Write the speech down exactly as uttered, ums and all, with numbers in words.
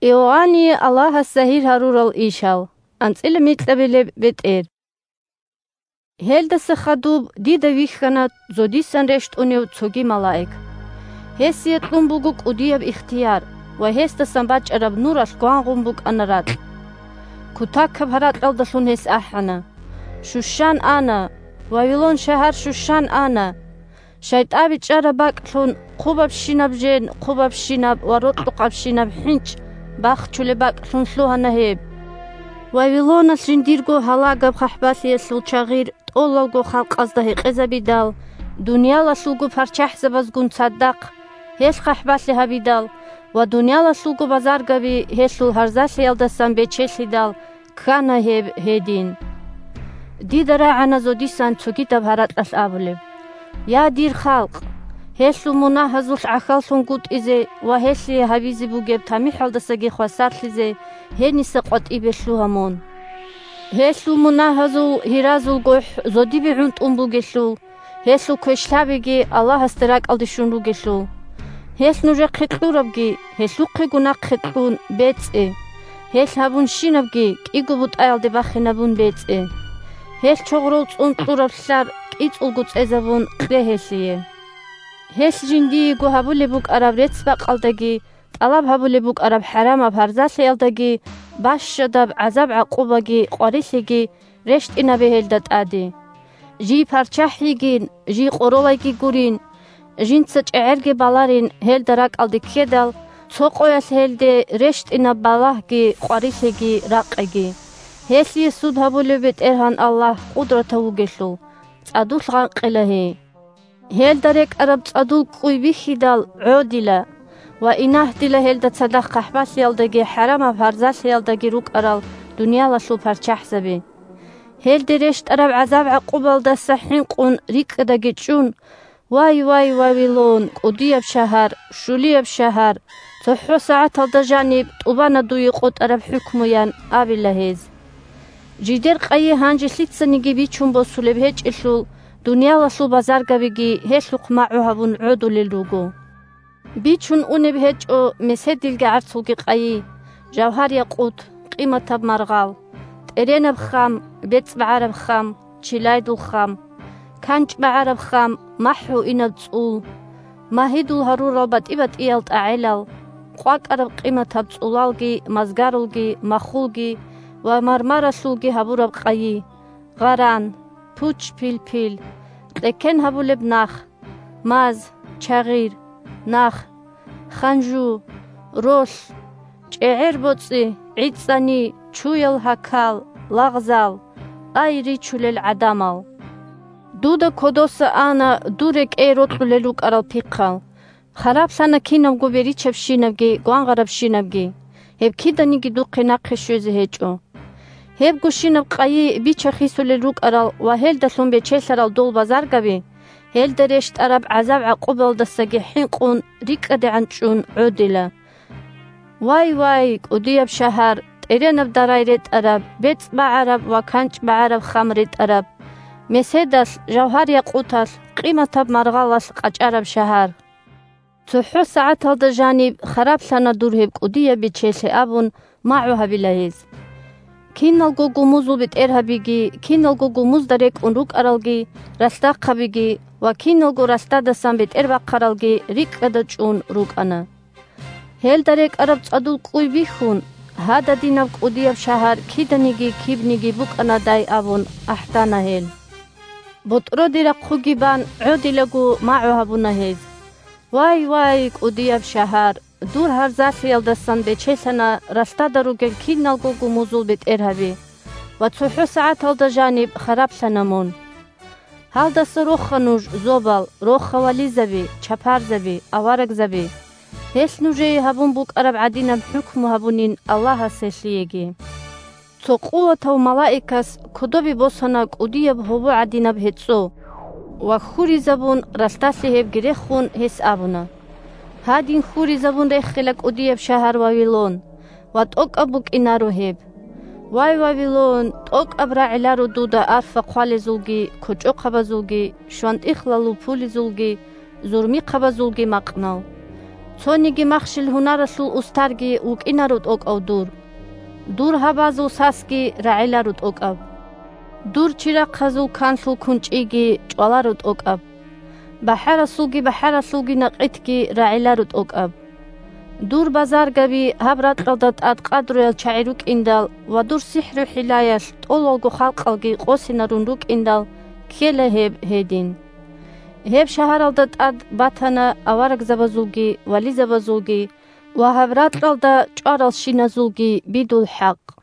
Иоанние Аллагьас загьир гьарурал ишал. АнцӀила микьабилеб бетӀер. Гьелдаса хадуб дида вихьана зодисан рещтӀунев цоги малаик. Гьесие кьун буго кӀудияб ихтияр ва гьесдасан бачӀараб нуралъ гвангъун букӀана ракь. Кутакаб гьаракьалдалъун гьес ахӀана: «Щущан ана! Вавилон шагьар щущан ана! ШайтӀаби чӀараб бакӀлъун, хъубабщинаб жен, хъубабщинаб ва рокьукъабщинаб хӀинчӀ бахчулеб бакӀлъун лъугьана гьеб. Вавилоналъ жиндирго гьалагаб хъахӀбалъиялъул чагъир тӀолалго халкъазда гьекъезабидал, дуниялалъулго парччахӀзабазгун цадахъ гьелъ хъахӀбалъи гьабидал ва дуниялалъулго базаргаби гьелъул гьарзалъиялдасан бечелъидал ккана гьеб гьедин». Дида рагӀана зодисан цогидаб гьаракьалъ абулеб: «Я, дир халкъ! Гьелъул мунагьазулъ гӀахьаллъунгутӀизе ва гьелъие гьабизе бугеб тамихӀалдасаги хвасарлъизе гьениса къватӀибе лъугьа мун. Гьелъул мунагьазул гьиразул гохӀ зодибе гӀунтӀун бугелъул, гьелъул квешлъабиги Аллагьасде ракӀалде щун ругелъул. Гьелъ нужехъе кьурабги, гьелъухъего нахъе кьун бецӀе. Гьелъ гьабунщинабги кӀиго бутӀаялде бахинабун бецӀе. Гьелъ чогърол цӀун кьураб лълъар кӀицӀулго цӀезабун кье гьелъие. Гьелъ жиндиего гьабулеб букӀараб рецц-бакъалдаги, тӀалаб гьабулеб букӀараб хӀарамаб гьарзалъиялдаги, бащадаб гӀазаб-гӀакъубаги къварилъиги рещтӀинабе гьелда тӀаде. Жий парччахӀ йигин, жий къоролайги гурин, жинца чӀегӀерги баларин гьелда ракӀалде ккедал, цо къоялъ гьелде рещтӀинаб балагьги къварилъиги ракъиги. Гьелъие суд гьабулев БетӀергьан Аллагь къудратав вугелъул, цӀадулъ гъанкъила гьей. Гьелда рекӀараб цӀадул кӀуй бихьидал гӀодила ва инагьдила гьелда цадахъ хъахӀбалъиялдаги хӀарамаб гьарзалъиялдаги рукӀарал дуниялалъул парччахӀзаби. Гьелде рещтӀараб гӀазаб-гӀакъубалдаса хӀинкъун рикӀкӀадаги чӀун: «Вай, вай, Вавилон, кӀудияб шагьар, щулияб шагьар! ЦохӀо сагӀаталда жаниб тӀубана дуе къотӀараб хӀукму», – ян абила гьез. Жидер къайи гьанже лъицаниги бичун босулеб гьечӀелъул, дуниялалъул базаргабиги гьелъухъ магӀу гьабун гӀодулел руго. Бичун унеб гьечӀо меседилги гӀарцулги къайи, жавгьар-якъут, къиматаб маргъал, тӀеренаб хам, бецӀ багӀараб хам, чилайдул хам, канчӀ багӀараб хам, махӀгьуинаб цӀул, магьидул гьарурал батӀи-батӀиял тӀагӀелал, къвакӀараб къиматаб цӀулалги, мазгарулги, махулги ва мармаралъулги гьабураб къайи, гъаран, пуч-пилпил, кьеккен гьабулеб нах, маз, чагъир, нах, ханжу, ролъ, чӀегӀер боцӀи, гӀицӀани, чуял гьакал, лагъзал, ай, ричулел гӀадамал! Дуда кодоса ана дур рекӀее рокьулел рукӀарал пихъал. Хараблъана кинабго беричабщинабги гвангъарабщинабги, гьеб киданиги духъе нахъе щвезе гьечӀо. Гьебгощинаб къайи бича-хисулел рукӀарал ва гьелдалъун бечелъарал дол базаргаби, гьелда рещтӀараб гӀазаб-гӀакъубалдасаги хӀинкъун рикӀкӀадегӀан чӀун гӀодила. Вай, вай, кӀудияб шагьар, тӀеренаб дарай ретӀараб, бецӀ багӀараб ва канчӀ багӀараб хам ретӀараб, меседалъ, жавгьар-якъуталъ, къиматаб маргъалалъ къачӀараб шагьар! ЦохӀо сагӀаталда жаниб хараблъана дур гьеб кӀудияб бечелъи абун магӀу гьабила гьез. Киналго гумузул бетӀергьабиги, киналго гумузда рекӀун рукӀаралги, ралъдахъабиги ва киналго ралъдадасан бетӀербахъаралги рикӀкӀада чӀун рукӀана. Гьелда рекӀараб цӀадул кӀуй бихьун, гьададинаб кӀудияб шагьар киданиги кибниги букӀанадай абун ахӀдана гьел. БотӀроде рахъуги бан гӀодилаго магӀу гьабуна гьез. Вай, вай, кӀудияб шагьар, дур гьарзалъиялдасан бечелъана ралъдада ругел киналго гумузул бетӀергьаби ва цохӀо сагӀаталда жаниб хараблъана мун. Гьалдаса роха нуж, зобал, роха вализаби, чапарзаби, аварагзаби, гьелъ нужее гьабун букӀараб гӀадинаб хӀукму гьабунин Аллагьас гьелъиеги. Цо къуватав малаикас кодобе босана кӀудияб гьобо гӀадинаб гьецӀо ва хьуризабун ралъдалъи гьебги рехун, гьес абуна: «Гьадин хьуризабун рехила кӀудияб шагьар Вавилон, ва тӀокӀаб букӀинаро гьеб. Вай, Вавилон, тӀокӀаб рагӀиларо дуда арфа хъвалезулги, кочӀохъабазулги, щвантӀихъ лалупулезулги, зурмихъабазулги макънал. Цониги махщел-гьунаралъул устарги вукӀинаро тӀокӀав дур. Дур гьабазул сасги рагӀиларо тӀокӀаб. Дур чирахъазул канлъул кунчӀиги чӀваларо тӀокӀаб. БахӀарасулги бахӀаралъулги накъитги рагӀиларо тӀокӀаб. Дур базаргаби гьаб ракьалда тӀад къадруял чагӀи рукӀиндал ва дур сихӀру-хӀилаялъ тӀолалго халкъалги къосинарун рукӀиндал ккела гьеб гьедин. Гьеб шагьаралда тӀад батана аварагзабазулги вализабазулги ва гьаб ракьалда чӀваралщиназулги бидул хӀакъ.